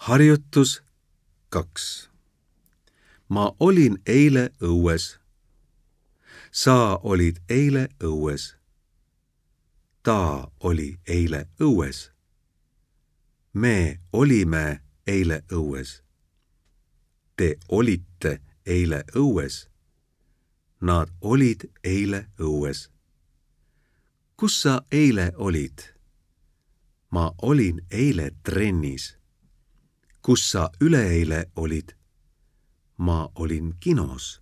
Harjutus 2. Ma olin eile õues. Sa olid eile õues. Ta oli eile õues. Me olime eile õues. Te olite eile õues. Nad olid eile õues. Kus sa eile olid? Ma olin eile trennis. Kus sa üleeile olid? Ma olin kinos.